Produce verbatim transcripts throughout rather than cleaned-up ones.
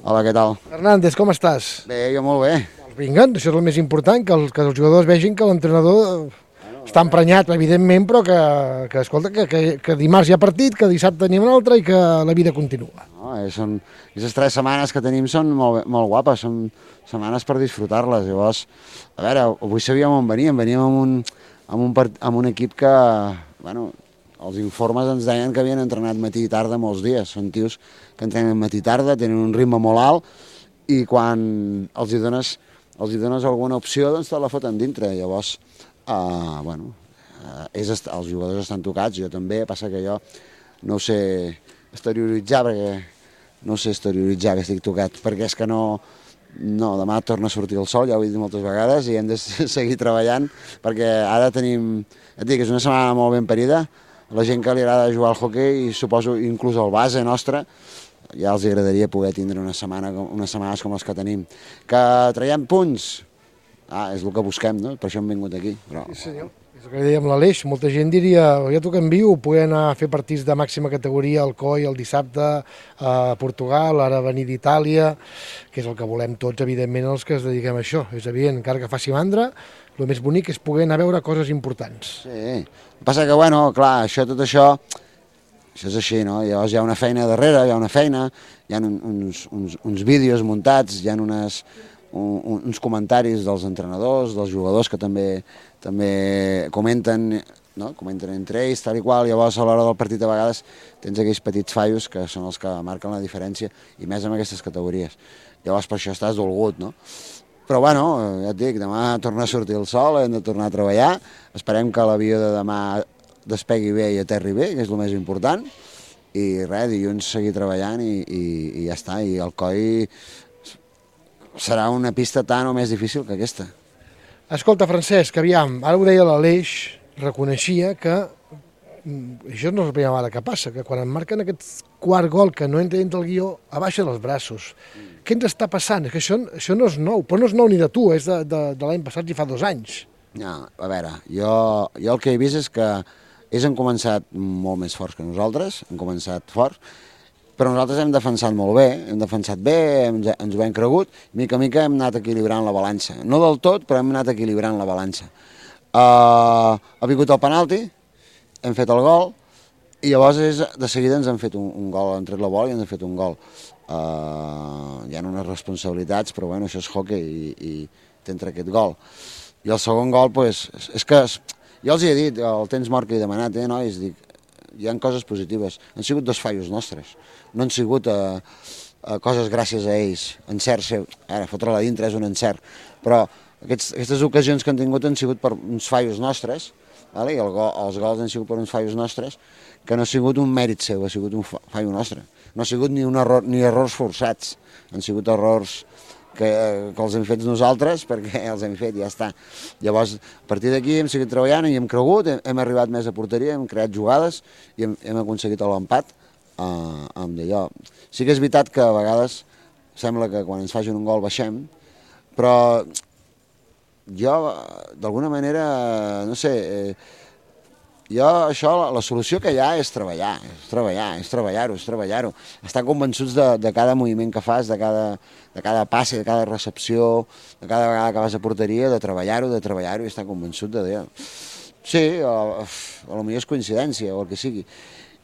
Hola, què tal? Hernández, com estàs? Bé, jo molt bé. Vinga, això és el més important, que els, que els jugadors vegin que l'entrenador està emprenyat, evidentment, però que, que escolta, que, que, que dimarts hi ha partit, que dissabte n'hi ha un altre i que la vida continua. No, eh, són, aquestes tres setmanes que tenim són molt, molt guapes, són setmanes per disfrutar-les. Llavors, a veure, avui sabíem on veníem, veníem amb un, amb un, part, amb un equip que, bueno, els informes ens deien que havien entrenat matí i tarda molts dies. Són tios que entrenen matí i tarda, tenen un ritme molt alt i quan els hi dones, els hi dones alguna opció, doncs te la foten dintre. Llavors, uh, bueno, uh, és, els jugadors estan tocats, jo també, passa que jo no ho sé exterioritzar, perquè no ho sé exterioritzar que estic tocat, perquè és que no, no, demà torna a sortir el sol, ja ho he dit moltes vegades, i hem de seguir treballant, perquè ara tenim, et dic, és una setmana molt ben parida, la gent que li agrada jugar al hoquei, i suposo inclús el base nostre, ja els agradaria poder tindre una setmana, unes setmanes com les que tenim. Que traiem punts? Ah, és el que busquem, no? Per això hem vingut aquí. Però... Sí, senyor. És el que dèiem l'Aleix. Molta gent diria, ja tu que envio, poder anar a fer partits de màxima categoria al C O I el dissabte a Portugal, ara venir d'Itàlia, que és el que volem tots, evidentment, els que es dediquem a això. És evident, encara que faci mandra, el més bonic és poder anar a veure coses importants. Sí, el que passa que, bueno, clar, això, tot això... Això és així, no? Llavors hi ha una feina darrere, hi ha una feina, hi ha uns, uns, uns vídeos muntats, hi ha unes, un, uns comentaris dels entrenadors, dels jugadors que també, també comenten, no? Comenten entre ells, tal i qual, llavors a l'hora del partit a vegades tens aquells petits fallos que són els que marquen la diferència, i més en aquestes categories. Llavors per això estàs dolgut, no? Però bueno, ja et dic, demà torna a sortir el sol, hem de tornar a treballar, esperem que l'avió de demà despegui bé i aterri bé, que és el més important, i res, dilluns seguir treballant i, i, i ja està, i el C O I serà una pista tan o més difícil que aquesta. Escolta, Francesc, aviam, ara ho deia l'Aleix, reconeixia que, això no és la primera vegada que passa, que quan em marquen aquest quart gol que no entra dintre el guió, abaixa els braços. Mm. Què ens està passant? És que això, això no és nou, però no és nou ni de tu, és de, de, de l'any passat i fa dos anys. No, a veure, jo, jo el que he vist és que ells han començat molt més forts que nosaltres, han començat forts, però nosaltres hem defensat molt bé, hem defensat bé, ens, ens ho hem cregut, mica a mica hem anat equilibrant la balança. No del tot, però hem anat equilibrant la balança. Uh, ha vingut el penalti, hem fet el gol, i llavors és, de seguida ens han fet un, un gol, han tret la bola i ens han fet un gol. Uh, hi ha unes responsabilitats, però bueno, això és hockey i, i t'entra aquest gol. I el segon gol, pues, és, és que... Jo els hi he dit, el temps mort que he demanat, eh, nois, dic, hi ha coses positives. Han sigut dos fallos nostres, no han sigut eh, eh, coses gràcies a ells, encerts seus. Ara, fotre-la dintre és un encert, però aquests, aquestes ocasions que han tingut han sigut per uns fallos nostres, vale? I el go, els gols han sigut per uns fallos nostres, que no ha sigut un mèrit seu, ha sigut un fallo nostre. No ha sigut ni, un error, ni errors forçats, han sigut errors que, que els hem fet nosaltres, perquè els hem fet i ja està. Llavors, a partir d'aquí hem seguit treballant i hem cregut, hem, hem arribat més a porteria, hem creat jugades i hem, hem aconseguit l'empat eh, amb d'allò. Sí que és veritat que a vegades sembla que quan ens facin un gol baixem, però jo, d'alguna manera, no sé, eh, jo, això, la, la solució que hi ha és treballar, és treballar, és treballar-ho, és treballar-ho. Estar convençuts de, de cada moviment que fas, de cada, de cada passe, de cada recepció, de cada vegada que vas a porteria, de treballar-ho, de treballar-ho i estar convençut de dir... Sí, a, a lo millor és coincidència o el que sigui.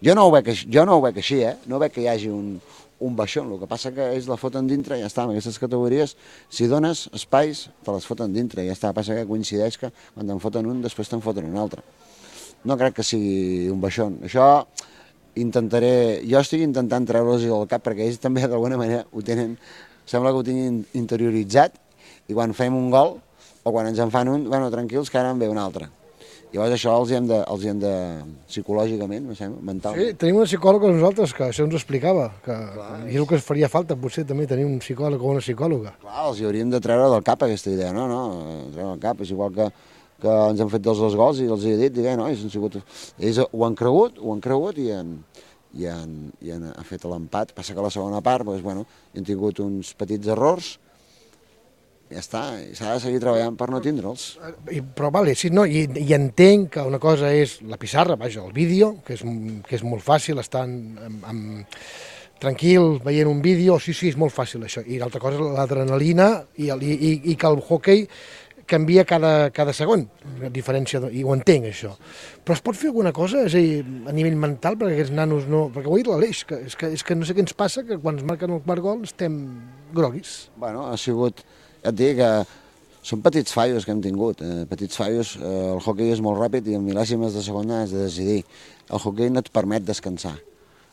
Jo no ho veig, jo no ho veig així, eh? No veig que hi hagi un, un baixón, el que passa que ells la foten dintre i ja està, en aquestes categories, si dones espais, te les foten dintre i ja està, passa que coincideix que quan te'n foten un, després te'n foten un altre. No crec que sigui un baixón. Això intentaré... Jo estic intentant treure-los del cap perquè ells també d'alguna manera ho tenen... Sembla que ho tinguin interioritzat i quan fem un gol o quan ens en fan un, bueno, tranquils que ara en ve un altre. Llavors això els hi hem de, els hi hem de psicològicament, no sé, mentalment. Sí, tenim una psicòloga nosaltres que això ens ho explicava, que és el que es faria falta potser també tenir un psicòleg o una psicòloga. Clar, els hi hauríem de treure del cap aquesta idea, no, no, treure del cap, és igual que que ens han fet dels dos gols i els he dit, diguem, no, ells, han sigut, ells ho han cregut, ho han cregut i han, i han, i han fet l'empat. Passa que a la segona part, doncs, bueno, hi han tingut uns petits errors, ja està, s'ha de seguir treballant per no tindre'ls. Però vale, sí, no, i, i entenc que una cosa és la pissarra, vaja, el vídeo, que és, que és molt fàcil, estar en, en, tranquil, veient un vídeo, sí, sí, és molt fàcil això. I l'altra cosa és l'adrenalina i, el, i, i que el hoquei canvia cada, cada segon, a diferència, de, i ho entenc, això. Però es pot fer alguna cosa, és a dir, a nivell mental, perquè aquests nanos no... Perquè ho ha dit l'Aleix, que és, que és que no sé què ens passa, que quan es marquen el quart gol estem groguis. Bueno, ha sigut... Ja et dic que són petits fallos que hem tingut, eh, petits fallos. Eh, el hoquei és molt ràpid i en mil·lèsimes de segona has de decidir. El hoquei no et permet descansar,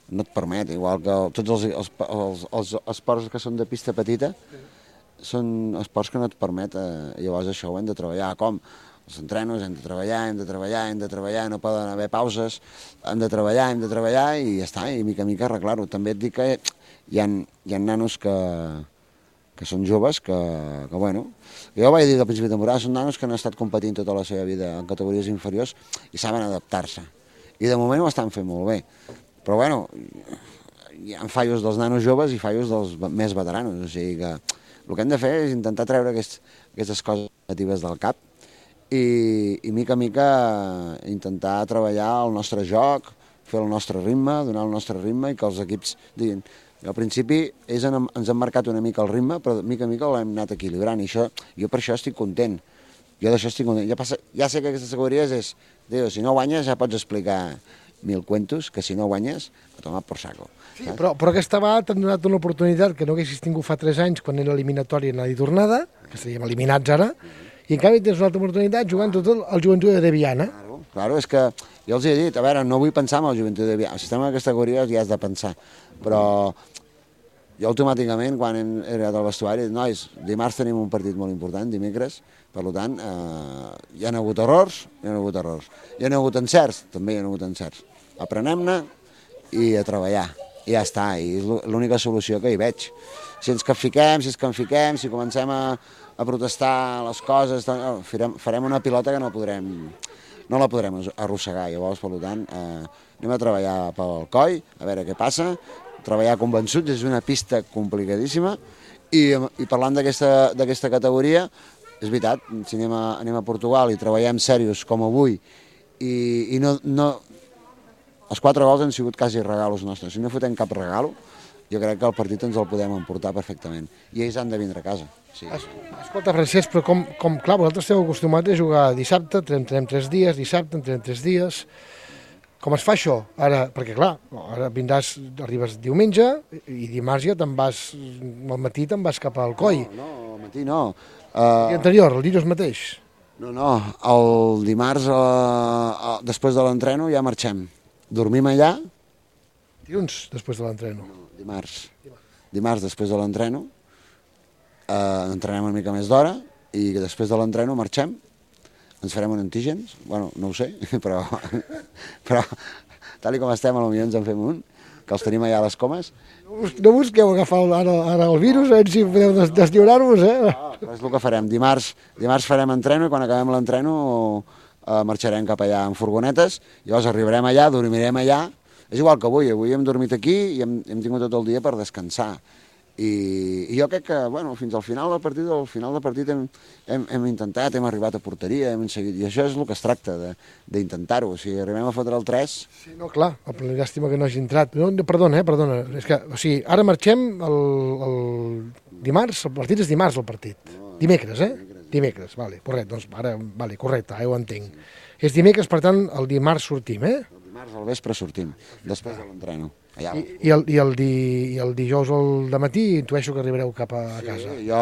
no et permet, igual que tots els, els, els, els esports que són de pista petita, són esports que no et permet, eh, llavors això ho hem de treballar. Com? Els entrenos hem de treballar, hem de treballar, hem de treballar, no poden haver pauses, hem de treballar, hem de treballar i ja està, i mica a mica arreglar-ho. També et dic que hi ha, hi ha nanos que, que són joves, que, que bueno, jo ho vaig dir al principi de temporada, són nanos que han estat competint tota la seva vida en categories inferiors i saben adaptar-se. I de moment ho estan fent molt bé. Però bueno, hi ha fallos dels nanos joves i fallos dels més veteranos, o sigui que el que hem de fer és intentar treure aquests, aquestes coses negatives del cap i, i mica a mica intentar treballar el nostre joc, fer el nostre ritme, donar el nostre ritme i que els equips diguin. Al principi ells han, ens han marcat una mica el ritme, però mica a mica l'hem anat equilibrant i això, jo per això estic content. Jo d'això estic content. Ja, passa, ja sé que aquestes categories és, diu, si no guanyes ja pots explicar mil cuentos, que si no guanyes, a tomar por saco. Sí, però, però aquesta vegada t'han donat una oportunitat que no haguessis tingut fa tres anys quan era eliminatòria anada i tornada, que estaríem eliminats ara, i en canvi tens una altra oportunitat jugant tot el, el Joventut de Viana. Claro, claro, és que jo els he dit, a veure, no vull pensar en el Joventut de Viana, si estem en aquesta categoria ja has de pensar, però jo automàticament quan hem arribat al vestuari he dit, nois, dimarts tenim un partit molt important, dimecres, per tant, eh, hi ha hagut errors, hi ha hagut errors, hi ha hagut encerts, també hi ha hagut encerts. Aprenem-ne i a treballar, i ja està, i és l'única solució que hi veig. Si ens capfiquem, si ens canfiquem, si comencem a, a protestar les coses, farem, farem una pilota que no podrem, no la podrem arrossegar, llavors, per tant, eh, anem a treballar pel coll, a veure què passa, treballar convençuts, és una pista complicadíssima, i, i parlant d'aquesta categoria, és veritat, si anem a, anem a Portugal i treballem serios com avui, i, i no, no, els quatre gols han sigut quasi regalos nostres, si no fotem cap regalo, jo crec que el partit ens el podem emportar perfectament, i ells han de vindre a casa. Sí. Escolta, Francesc, però com, com clar, vosaltres esteu acostumats a jugar dissabte, entrenem tres dies, dissabte, entrenem tres dies. Com es fa això? Ara, perquè clar, ara vindràs, arribes diumenge i dimarts ja te'n vas, al matí te'n vas cap al coll. No, no, al matí no. Uh... I anterior, el dilluns mateix? No, no, el dimarts, uh, uh, després de l'entreno, ja marxem. Dormim allà. Dilluns, després de l'entreno? No, dimarts. Dimarts, després de l'entreno, uh, entrenem una mica més d'hora i després de l'entreno marxem. Ens farem un antígens, bueno, no ho sé, però, però tal com estem, potser ens en fem un, que els tenim allà a les comes. No busqueu agafar ara, ara el virus, a veure si podeu des deslliurar-vos, eh? Ah, però és el que farem. Dimarts, dimarts farem entreno i quan acabem l'entreno eh, marxarem cap allà en furgonetes, llavors arribarem allà, dormirem allà. És igual que avui, avui hem dormit aquí i hem, hem tingut tot el dia per descansar. I, i jo crec que, bueno, fins al final del partit, al final del partit hem, hem, hem intentat, hem arribat a porteria, hem seguit, i això és el que es tracta, d'intentar-ho. Si arribem a fotre el tres... Sí, no, clar, el llàstima que no hagi entrat. No, perdona, eh, perdona, és que, o sigui, ara marxem el, el dimarts, el partit és dimarts el partit. No, dimecres, eh? Dimecres, dimecres, vale, correcte, doncs ara, vale, correcte, ara ho entenc. Sí. És dimecres, per tant, el dimarts sortim, eh? El dimarts al vespre sortim, després de l'entreno. I, i, el, i, el di, i el dijous al dematí intueixo que arribareu cap a, a casa. Sí, jo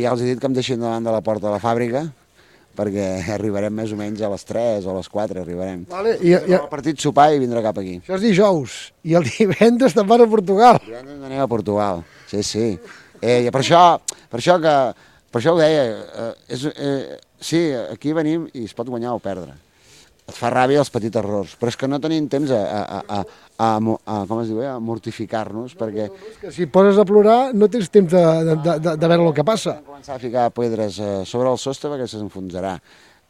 ja els he dit que em deixin davant de la porta de la fàbrica perquè arribarem més o menys a les tres o a les quatre arribarem. Vale, i, i, el partit sopar i vindrà cap aquí. Això és dijous i el divendres te'n vas a Portugal. El divendres anem a Portugal, sí, sí. Eh, per, això, per això que per això ho deia, eh, és, eh, sí, aquí venim i es pot guanyar o perdre. Et fa ràbia els petits errors, però és que no tenim temps a, a, a, a, a, com es diu, a mortificar-nos, perquè... No, no, és que si poses a plorar no tens temps de, de, de, de veure el que passa. Hem començat a ficar pedres sobre el sostre perquè s'enfonsarà.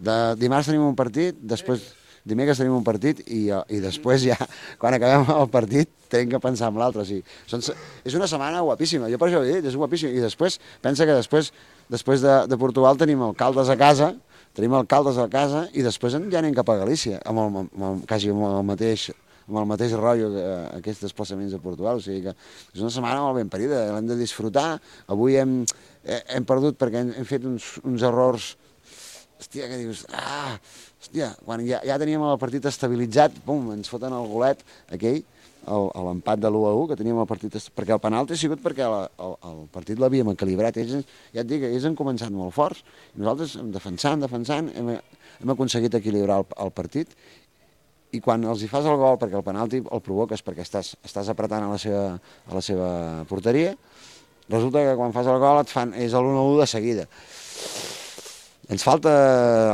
De dimarts tenim un partit, després dimecres tenim un partit i, i després ja, quan acabem el partit, tenim que pensar en l'altre. O sigui, són, és una setmana guapíssima, jo per això ho he dit, és guapíssima. I després, pensa que després, després de, de Portugal tenim el Caldes a casa, tenim alcaldes a casa i després ja anem cap a Galícia, amb el, amb el, quasi amb el mateix amb el mateix rotllo que aquests desplaçaments a Portugal, o sigui que és una setmana molt ben parida, l'hem de disfrutar. Avui hem, hem perdut perquè hem, hem fet uns, uns errors, hòstia, que dius, ah, hòstia, quan ja, ja teníem el partit estabilitzat, pum, ens foten el golet aquell, l'empat de l'u a u, que teníem el partit, perquè el penalti ha sigut perquè el, el, el partit l'havíem equilibrat, ells, ja et dic, ells han començat molt forts, i nosaltres defensant, defensant, hem, hem aconseguit equilibrar el, el partit, i quan els hi fas el gol, perquè el penalti el provoques perquè estàs, estàs apretant a la, seva, a la seva porteria, resulta que quan fas el gol et fan, és l'u a u de seguida. Ens falta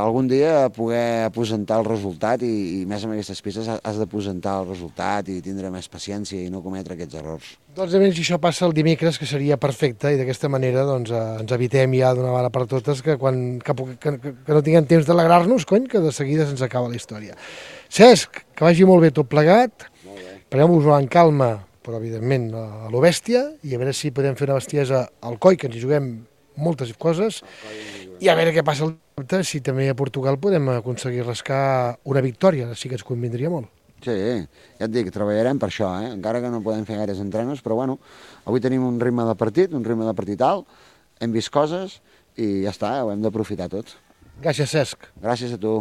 algun dia poder aposentar el resultat i, i més amb aquestes pistes has de aposentar el resultat i tindre més paciència i no cometre aquests errors. Doncs a veure si això passa el dimecres, que seria perfecte, i d'aquesta manera doncs, eh, ens evitem ja d'una vegada per totes que, quan, que, que, que no tinguem temps d'alegrar-nos, cony, que de seguida se'ns acaba la història. Cesc, que vagi molt bé tot plegat, preneu-vos-ho en calma, però evidentment a lo bèstia, i a veure si podem fer una bestiesa al Coi, que ens hi juguem moltes coses, i a veure què passa el dissabte, si també a Portugal podem aconseguir rascar una victòria, sí que ens convindria molt. Sí, ja et dic, treballarem per això, eh? Encara que no podem fer gaires entrenos, però bueno, avui tenim un ritme de partit, un ritme de partit alt, hem vist coses i ja està, ho hem d'aprofitar tot. Gràcies, Cesc. Gràcies a tu.